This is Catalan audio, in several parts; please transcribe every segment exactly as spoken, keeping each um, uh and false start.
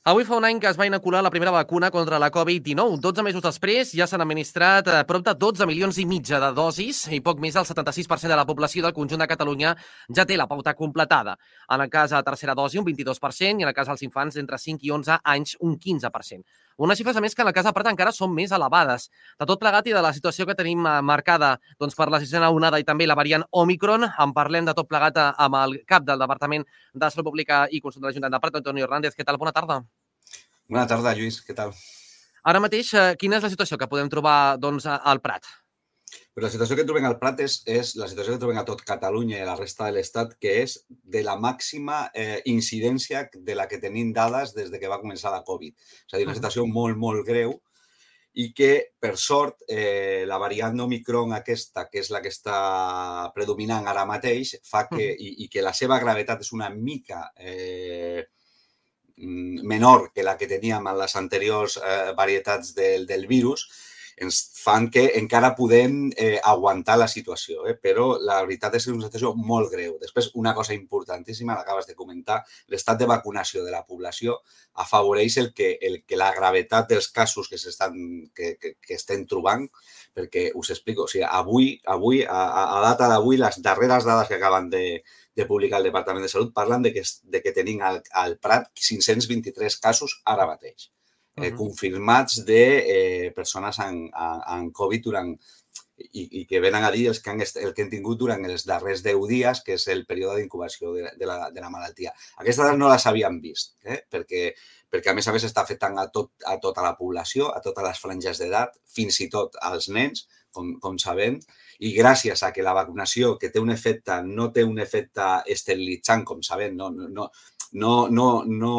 Avui fa un any que es va inocular la primera vacuna contra la Covid dinou. dotze mesos després ja s'han administrat eh, prop de dotze milions i mitja de dosis i poc més del setanta-sis per cent de la població del conjunt de Catalunya ja té la pauta completada. En el cas de la tercera dosi, un vint-i-dos per cent, i en el cas dels infants d'entre cinc i onze anys, un quinze per cent. Unes xifres, a més, que en el cas de Prat encara són més elevades. De tot plegat i de la situació que tenim eh, marcada doncs, per la sisena onada i també la variant Omicron, en parlem de tot plegat eh, amb el cap del Departament de Salut Pública i Consum de l'Ajuntament de Prat, Antonio Hernández. Què tal? Bona tarda. Bona tarda, Lluís. Què tal? Ara mateix, quina és la situació que podem trobar doncs, al Prat? Però la situació que trobem al Prat és, és la situació que trobem a tot Catalunya i a la resta de l'Estat, que és de la màxima eh, incidència de la que tenim dades des de que va començar la Covid. És a dir, una situació molt, molt greu i que, per sort, eh, la variant Omicron aquesta, que és la que està predominant ara mateix, fa que, i, i que la seva gravetat és una mica eh, menor que la que teníem en les anteriors eh, varietats del, del virus, ens fan que encara podem eh, aguantar la situació, eh? Però la veritat és que és una situació molt greu. Després, una cosa importantíssima, l'acabes de comentar, l'estat de vacunació de la població afavoreix el que, el que la gravetat dels casos que, que, que, que estem trobant, perquè us explico, o sigui, avui, avui a, a data d'avui, les darreres dades que acaben de, de publicar el Departament de Salut parlen de que, de que tenim al, al Prat cinc-cents vint-i-tres casos ara mateix. Eh, uh-huh. Confirmats de eh, persones amb, amb Covid durant, i, i que venen a dir els que han, el que han tingut durant els darrers deu dies, que és el període d'incubació de, de, la, de la malaltia. Aquestes dades no les havíem vist, eh? perquè, perquè a més a més està afectant a, tot, a tota la població, a totes les franges d'edat, fins i tot als nens, com, com sabem, i gràcies a que la vacunació, que té un efecte, no té un efecte esterilitzant, com sabem, no, no, no, no, no, no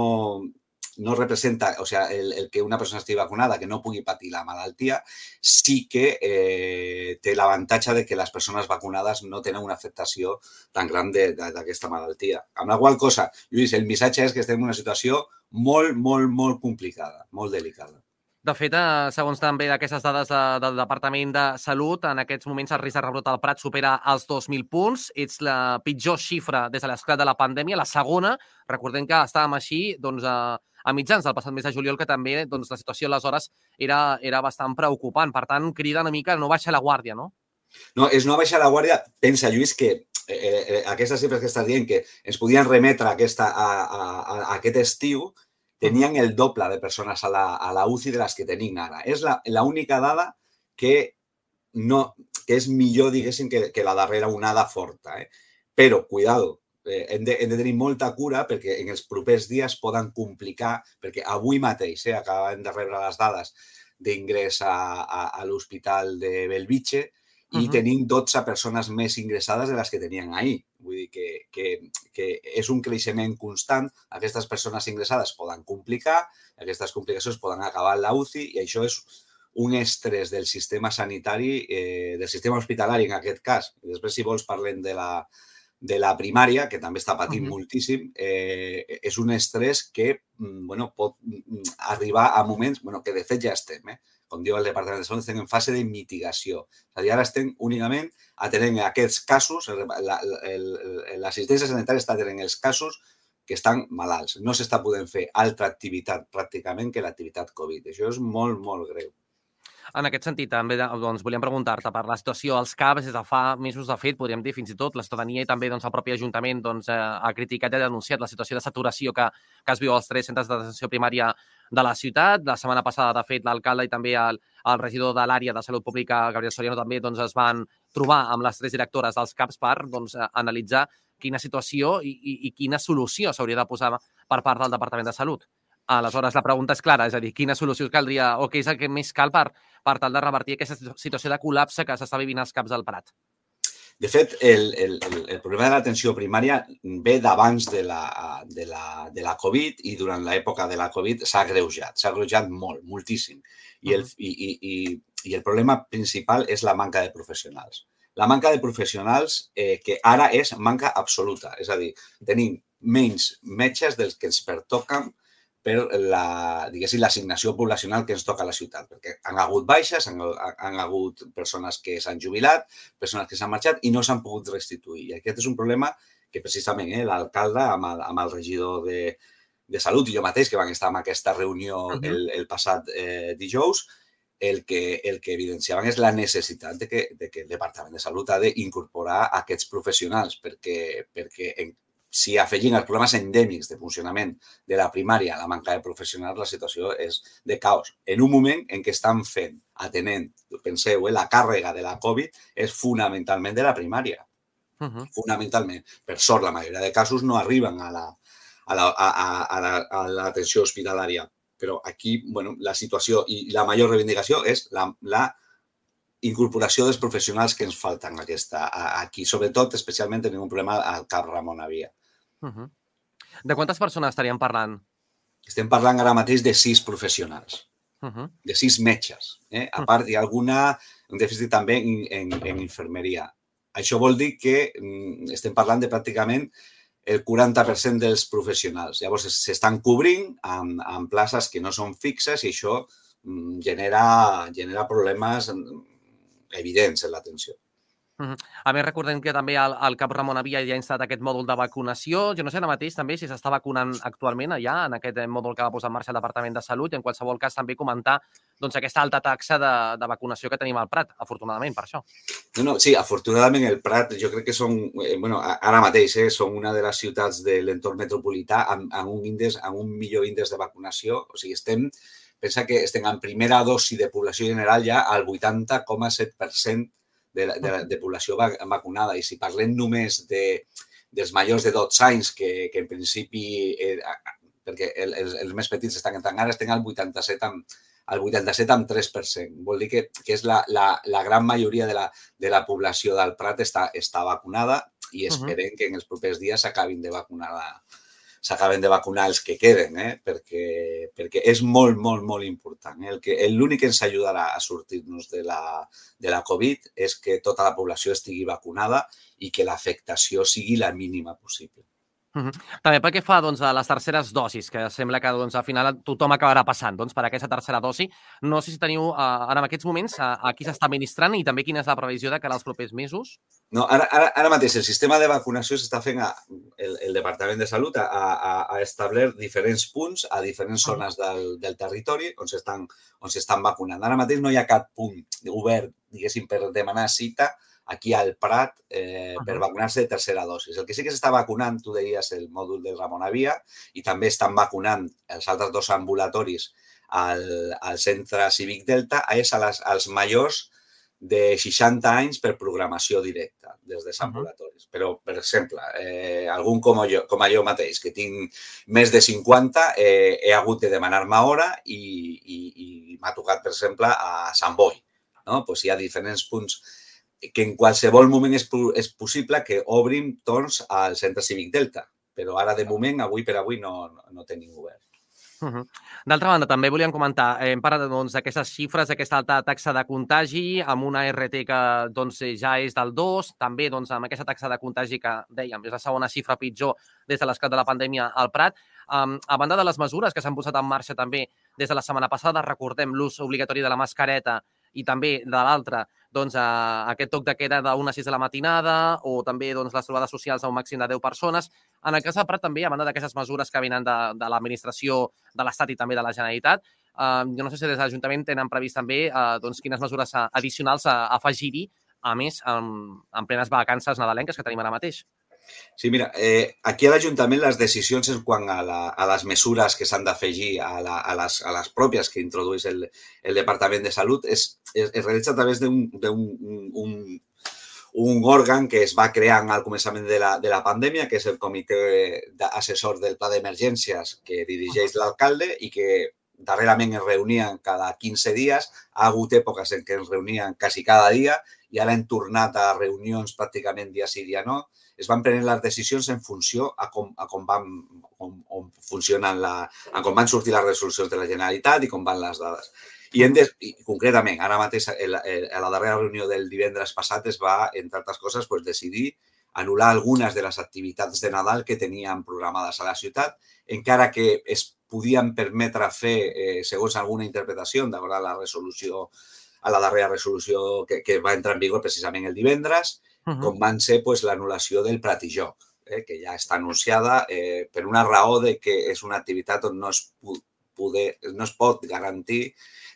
no representa, o sea, el, el que una persona estigui vacunada, que no pugui patir la malaltia, sí que eh, té l'avantatge de que les persones vacunades no tenen una afectació tan gran d'aquesta malaltia. Amb la qual cosa, Lluís, el missatge és que estem en una situació molt, molt, molt complicada, molt delicada. De fet, segons també aquestes dades de, del Departament de Salut, en aquests moments el risc de rebrot al Prat supera els dos mil punts. És la pitjor xifra des de l'esclat de la pandèmia. La segona, recordem que estàvem així doncs, a, a mitjans del passat mes de juliol, que també doncs, la situació aleshores era, era bastant preocupant. Per tant, crida una mica no baixar la guàrdia, no? No, és no baixar la guàrdia. Pensa, Lluís, que eh, eh, aquestes xifres que estàs dient, que ens podien remetre a, aquesta, a, a, a aquest estiu, tenien el doble de persones a la, a la U C I de les que tenim ara. És l'única dada que, no, que és millor, diguéssim, que, que la darrera onada forta. Eh? Però, cuidado, eh, hem, de, hem de tenir molta cura perquè en els propers dies poden complicar, perquè avui mateix eh, acabem de rebre les dades d'ingrés a, a, a l'Hospital de Bellvitge i uh-huh. tenim dotze persones més ingressades de les que tenien ahir. Vull dir que, que, que és un creixement constant. Aquestes persones ingressades poden complicar, aquestes complicacions poden acabar en la U C I i això és un estrès del sistema sanitari, eh, del sistema hospitalari en aquest cas. I després, si vols, parlem de la, de la primària, que també està patint uh-huh. moltíssim. Eh, és un estrès que bueno, pot arribar a moments bueno, que de fet ja estem, eh? Com diu el Departament de Salut, estem en fase de mitigació. És a dir, ara estem únicament atenent aquests casos, l'assistència sanitària està atenent els casos que estan malalts. No s'està podent fer altra activitat pràcticament que l'activitat Covid. Això és molt, molt greu. En aquest sentit, també doncs, volíem preguntar-te per la situació als C A Ps des de fa mesos, de fet, podríem dir fins i tot, la ciutadania i també doncs, el propi Ajuntament doncs, eh, ha criticat i ha denunciat la situació de saturació que, que es viu als tres centres d'atenció primària de la ciutat. La setmana passada, de fet, l'alcalde i també el, el regidor de l'àrea de Salut Pública, Gabriel Soriano, també doncs, es van trobar amb les tres directores dels C A Ps per doncs, analitzar quina situació i, i, i quina solució s'hauria de posar per part del Departament de Salut. Aleshores, la pregunta és clara, és a dir, quina solució caldria o què és el que més cal per, per tal de revertir aquesta situació de col·lapse que s'està vivint als C A Ps del Prat? De fet, el, el, el problema de l'atenció primària ve d'abans de, la, de, la, de la Covid i durant l'època de la Covid s'ha agreujat, s'ha agreujat molt, moltíssim. I el, i, i, i, i el problema principal és la manca de professionals. La manca de professionals eh, que ara és manca absoluta, és a dir, tenim menys metges dels que ens pertoquen per la, diguéssim, l'assignació poblacional que ens toca a la ciutat, perquè han hagut baixes, han, han hagut persones que s'han jubilat, persones que s'han marxat i no s'han pogut restituir. I aquest és un problema que precisament eh, l'alcalde amb, el, amb el regidor de, de Salut i jo mateix, que vam estar en aquesta reunió Uh -huh. el, el passat eh, dijous, el que, el que evidenciaven és la necessitat de que, de que el Departament de Salut ha d'incorporar aquests professionals, perquè, perquè en, si afegim els problemes endèmics de funcionament de la primària a la manca de professionals, la situació és de caos. En un moment en què estan fent, atenent, penseu, eh, la càrrega de la Covid és fonamentalment de la primària. Uh -huh. Fonamentalment. Per sort, la majoria de casos no arriben a la, a la, a, a, la, a l'atenció hospitalària. Però aquí, bueno, la situació i la major reivindicació és la, la incorporació dels professionals que ens falten aquesta, aquí. Sobretot, especialment, tenim un problema al Cap Ramon Avia. Uh -huh. De quantes persones estaríem parlant? Estem parlant ara mateix de sis professionals, uh -huh. de sis metges. Eh? A part, hi ha alguna, un dèficit també en, en, en infermeria. Això vol dir que estem parlant de pràcticament el quaranta per cent dels professionals. Llavors, s'estan cobrint amb, amb places que no són fixes i això genera, genera problemes evidents en l'atenció. Uh -huh. A més, recordem que també el, el Cap Ramon Avia ja ha instal·lat aquest mòdul de vacunació. Jo no sé ara mateix també si s'està vacunant actualment allà, en aquest mòdul que va posar en marxa el Departament de Salut, i en qualsevol cas també comentar doncs, aquesta alta taxa de, de vacunació que tenim al Prat, afortunadament, per això. No, no, sí, afortunadament el Prat jo crec que són, eh, bueno, ara mateix, eh, són una de les ciutats de l'entorn metropolità amb, amb, un índex, amb un millor índex de vacunació. O sigui, estem, pensa que estem en primera dosi de població general ja al vuitanta coma set per cent de, de, de població vacunada. I si parlem només de, dels majors de dotze anys, que, que en principi, eh, perquè els, els més petits estan entrant ara, estem al vuitanta-set amb, al vuitanta-set coma tres per cent. Vol dir que, que és la, la, la gran majoria de la, de la població del Prat està, està vacunada i esperem uh -huh. que en els propers dies s'acabin de vacunar la, s'acaben de vacunar els que queden, eh? perquè, perquè és molt, molt, molt important. Eh? L'únic que ens ajudarà a sortir-nos de la, de la Covid és que tota la població estigui vacunada i que l'afectació sigui la mínima possible. Uh -huh. També pel que fa doncs, a les terceres dosis, que sembla que doncs, al final tothom acabarà passant doncs, per aquesta tercera dosi. No sé si teniu uh, ara en aquests moments a, a qui s'està administrant i també quina és la previsió de cara als propers mesos? No, ara, ara, ara mateix el sistema de vacunació s'està fent, a, el, el Departament de Salut ha, ha, ha establert diferents punts a diferents zones del, del territori on s'estan on s'estan vacunant. Ara mateix no hi ha cap punt obert, diguéssim, per demanar cita aquí al Prat eh, per vacunar-se de tercera dosis. El que sí que s'està vacunant, tu deies, el mòdul del Ramon Avia i també estan vacunant els altres dos ambulatoris al, al centre cívic Delta, és a les, als majors de seixanta anys per programació directa des dels ambulatoris. Però, per exemple, eh, algun com jo, com jo mateix, que tinc més de cinquanta, eh, he hagut de demanar-me hora i, i, i m'ha tocat, per exemple, a Sant Boi. No? Pues hi ha diferents punts que en qualsevol moment és, és possible que obrim torns al centre cívic Delta, però ara, de moment, avui per avui, no, no, no tenim obert. Uh -huh. D'altra banda, també volíem comentar, hem parlat doncs, d'aquestes xifres, d'aquesta alta taxa de contagi, amb una R T que doncs, ja és del dos, també doncs, amb aquesta taxa de contagi que, dèiem, és la segona xifra pitjor des de l'esclat de la pandèmia al Prat. Um, a banda de les mesures que s'han posat en marxa també des de la setmana passada, recordem l'ús obligatori de la mascareta i també de l'altra, doncs, a aquest toc de queda d'una a sis de la matinada o també doncs, les trobades socials a un màxim de deu persones. En el cas del Prat també, a banda d'aquestes mesures que venen de, de l'administració de l'Estat i també de la Generalitat, eh, jo no sé si des de l'Ajuntament tenen previst també eh, doncs, quines mesures addicionals a, a afegir-hi, a més, en, en plenes vacances nadalenques que tenim ara mateix. Sí, mira, eh, aquí a l'Ajuntament les decisions en quant a, la, a les mesures que s'han d'afegir a, la, a, les, a les pròpies que introdueix el, el Departament de Salut es, es, es realitza a través d'un un, un, un òrgan que es va crear al començament de la, de la pandèmia, que és el Comitè Assessor del Pla d'Emergències que dirigeix l'alcalde i que darrerament es reunien cada quinze dies. Ha hagut èpoques en què es reunien quasi cada dia i ara hem tornat a reunions pràcticament dia sí, dia no. Es van prenent les decisions en funció a com, a com, van, com, com funcionen la, a com van sortir les resolucions de la Generalitat i com van les dades. I, de, i concretament, ara mateix, a la darrera reunió del divendres passat es va, entre altres coses, pues, decidir anul·lar algunes de les activitats de Nadal que teníem programades a la ciutat, encara que es podien permetre fer, eh, segons alguna interpretació, d'acord a la resolució, a la darrera resolució que, que va entrar en vigor precisament el divendres, Uh -huh. com van ser pues, l'anul·lació del Prat i Joc. eh, que ja està anunciada eh, per una raó de que és una activitat on no es, poder, no es pot garantir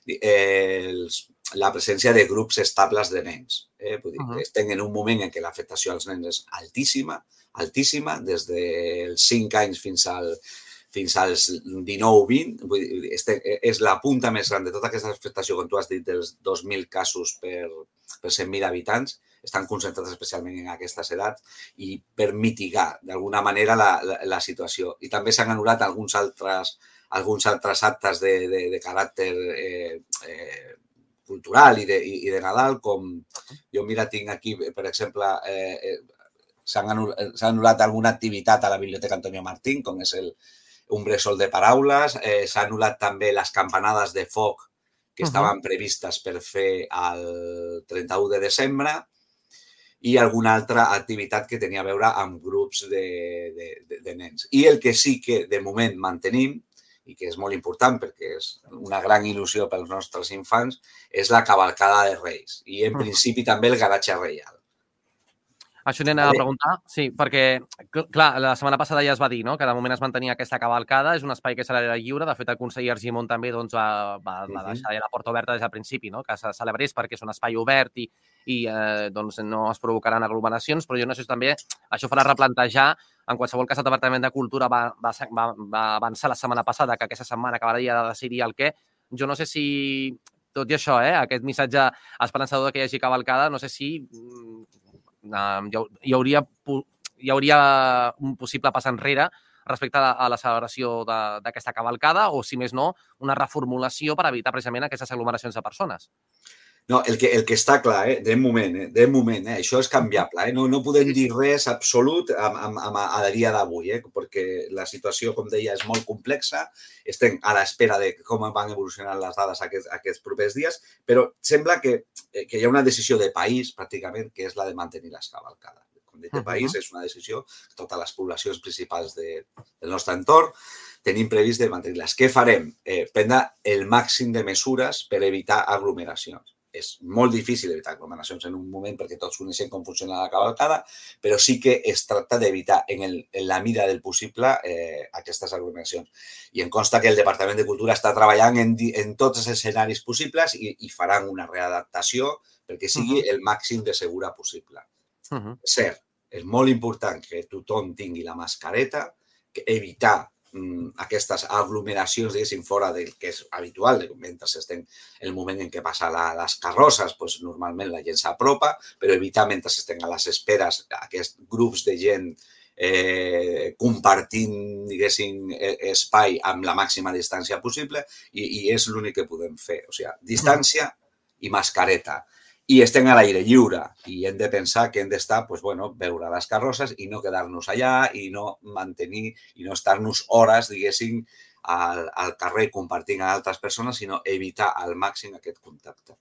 eh, els, la presència de grups estables de nens. Eh? Vull dir, uh -huh. Estem en un moment en què l'afectació als nens és altíssima, altíssima, des dels cinc anys fins al fins als dinou vint. Vull dir, este, és la punta més gran de tota aquesta afectació, com tu has dit, dels dos mil casos per, per cent mil habitants. Estan concentrats especialment en aquestes edats i per mitigar d'alguna manera la, la, la situació. I també s'han anul·lat alguns altres, alguns altres actes de, de, de caràcter eh, eh, cultural i de, i, i de Nadal, com jo, mira, tinc aquí, per exemple, eh, s'ha anul·lat alguna activitat a la Biblioteca Antonio Martín, com és el un bressol de paraules, eh, s'ha anul·lat també les campanades de foc que estaven previstes per fer el trenta-u de desembre i alguna altra activitat que tenia a veure amb grups de, de, de, de nens. I el que sí que de moment mantenim, i que és molt important perquè és una gran il·lusió pels nostres infants, és la cavalcada de Reis i, en principi, també el garatge reial. Això anem a preguntar, sí, perquè, clar, la setmana passada ja es va dir, no?, que de moment es mantenia aquesta cavalcada, és un espai que serà lliure, de fet el conseller Argimon també doncs, va, va, va deixar la porta oberta des del principi, no?, que se celebrés perquè és un espai obert i, i eh, doncs no es provocaran aglomeracions, però jo no sé si també això farà replantejar. En qualsevol cas, el Departament de Cultura va, va, va, va avançar la setmana passada que aquesta setmana acabaria de decidir el què. Jo no sé si, tot i això, eh, aquest missatge esperançador que hi hagi cavalcada, no sé si hi hauria, hi hauria un possible pas enrere respecte a la celebració d'aquesta cavalcada o, si més no, una reformulació per evitar precisament aquestes aglomeracions de persones. No, el que, el que està clar, eh, de moment, eh, de moment, eh, això és canviable. Eh? No, no podem dir res absolut a, a, a, a dia d'avui, eh, perquè la situació, com deia, és molt complexa. Estem a l'espera de com van evolucionar les dades aquests, aquests propers dies, però sembla que, que hi ha una decisió de país, pràcticament, que és la de mantenir les cavalcades. Com dic, de país és una decisió de totes les poblacions principals de, del nostre entorn. Tenim previst de mantenir-les. Què farem? Eh, prendre el màxim de mesures per evitar aglomeracions. És molt difícil evitar aglomeracions en un moment perquè tots coneixem com funciona la cavalcada, però sí que es tracta d'evitar en, el, en la mida del possible eh, aquestes aglomeracions. I em consta que el Departament de Cultura està treballant en, en tots els escenaris possibles i, i faran una readaptació perquè sigui el màxim de segura possible. Uh-huh. És cert, és molt important que tothom tingui la mascareta, que evitar aquestes aglomeracions, diguéssim, fora del que és habitual, mentre estem el moment en què passa la, les carrosses, doncs normalment la gent s'apropa, però evitar mentre estem a les esperes aquests grups de gent eh, compartint, diguéssim, espai amb la màxima distància possible i, i és l'únic que podem fer. O sigui, distància i mascareta. I estem a l'aire lliure i hem de pensar que hem d'estar, doncs, bueno, veure les carrosses i no quedar-nos allà i no mantenir i no estar-nos hores, diguéssim, al, al carrer compartint amb altres persones, sinó evitar al màxim aquest contacte.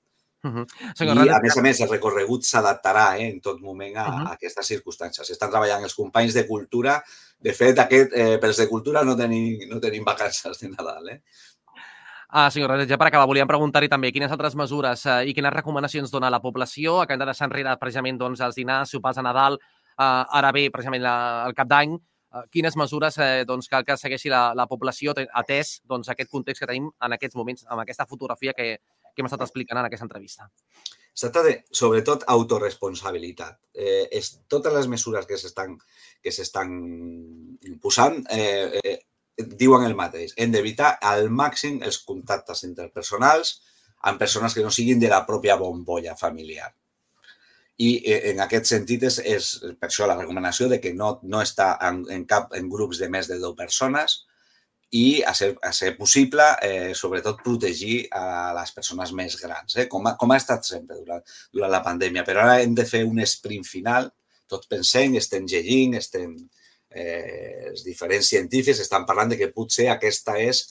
Uh-huh. I, a més a més, el recorregut s'adaptarà eh, en tot moment a, uh-huh. a aquestes circumstàncies. Estan treballant els companys de cultura. De fet, aquest, eh, pels de cultura no tenim, no tenim vacances de Nadal, eh? Ah, senyor Radet, ja per acabar, volíem preguntar-hi també quines altres mesures eh, i quines recomanacions dona la població. Acabem de deixar enrere precisament doncs, els dinars, sopars de Nadal, eh, ara bé, precisament la, el cap d'any. Eh, quines mesures eh, doncs, cal que segueixi la, la població atès doncs, aquest context que tenim en aquests moments, amb aquesta fotografia que, que hem estat explicant en aquesta entrevista? Es tracta de, sobretot, autorresponsabilitat. Eh, és, totes les mesures que s'estan que s'estan posant eh, eh, diuen el mateix. Hem d'evitar al màxim els contactes interpersonals amb persones que no siguin de la pròpia bombolla familiar. I en aquest sentit és, és per això la recomanació de que no, no està en, en cap en grups de més de dues persones i, a ser, a ser possible, eh, sobretot protegir a les persones més grans, eh? com, ha, com ha estat sempre durant, durant la pandèmia. Però ara hem de fer un sprint final, tots pensem, estem llegint, estem... Eh, els diferents científics estan parlant de que potser aquesta és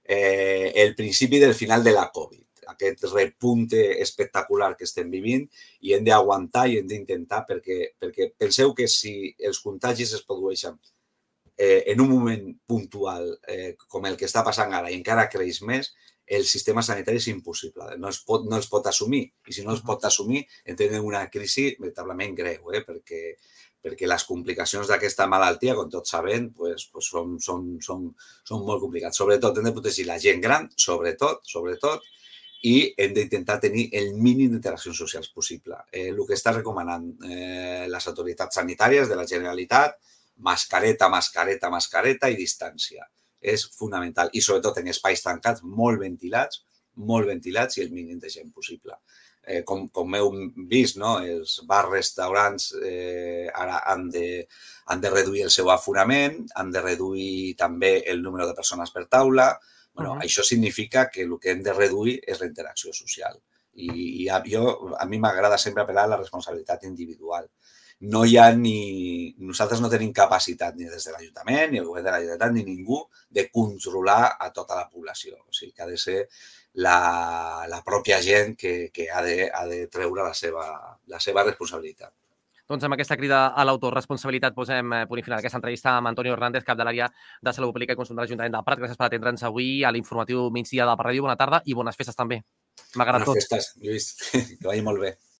eh, el principi del final de la Covid, aquest repunte espectacular que estem vivint i hem d'aguantar i hem d'intentar perquè, perquè penseu que si els contagis es produeixen eh, en un moment puntual eh, com el que està passant ara i encara creix més, el sistema sanitari és impossible, no es pot, no es pot assumir i si no es pot assumir entrem en una crisi veritablement greu, eh, perquè perquè les complicacions d'aquesta malaltia, com tots sabem, pues, pues són, són, són, són molt complicats. Sobretot hem de protegir la gent gran, sobretot, sobretot, i hem d'intentar tenir el mínim d'interaccions socials possible. Eh, el que està recomanant eh, les autoritats sanitàries de la Generalitat, mascareta, mascareta, mascareta i distància. És fonamental. I sobretot en espais tancats, molt ventilats, molt ventilats i el mínim de gent possible. Eh, com, com heu vist, no? Els bars, restaurants eh, ara han de, han de reduir el seu aforament, han de reduir també el número de persones per taula. Bueno, uh-huh. Això significa que el que hem de reduir és la interacció social. I, i a, jo, a mi m'agrada sempre apel·lar a la responsabilitat individual. No hi ha ni... Nosaltres no tenim capacitat ni des de l'Ajuntament, ni el govern de la Generalitat, ni ningú de controlar a tota la població. O sigui, que ha de ser la, la pròpia gent que, que ha, de, ha de treure la seva, la seva responsabilitat. Doncs amb aquesta crida a l'autoresponsabilitat posem punt i final aquesta entrevista amb Antonio Hernández, cap de l'àrea de Salut Pública i Consum de l'Ajuntament del Prat. Gràcies per atendre'ns avui a l'informatiu migdia de Prat Ràdio. Bona tarda i bones festes també. M'ha agradat tot. Bones festes, Lluís. Que vagi molt bé.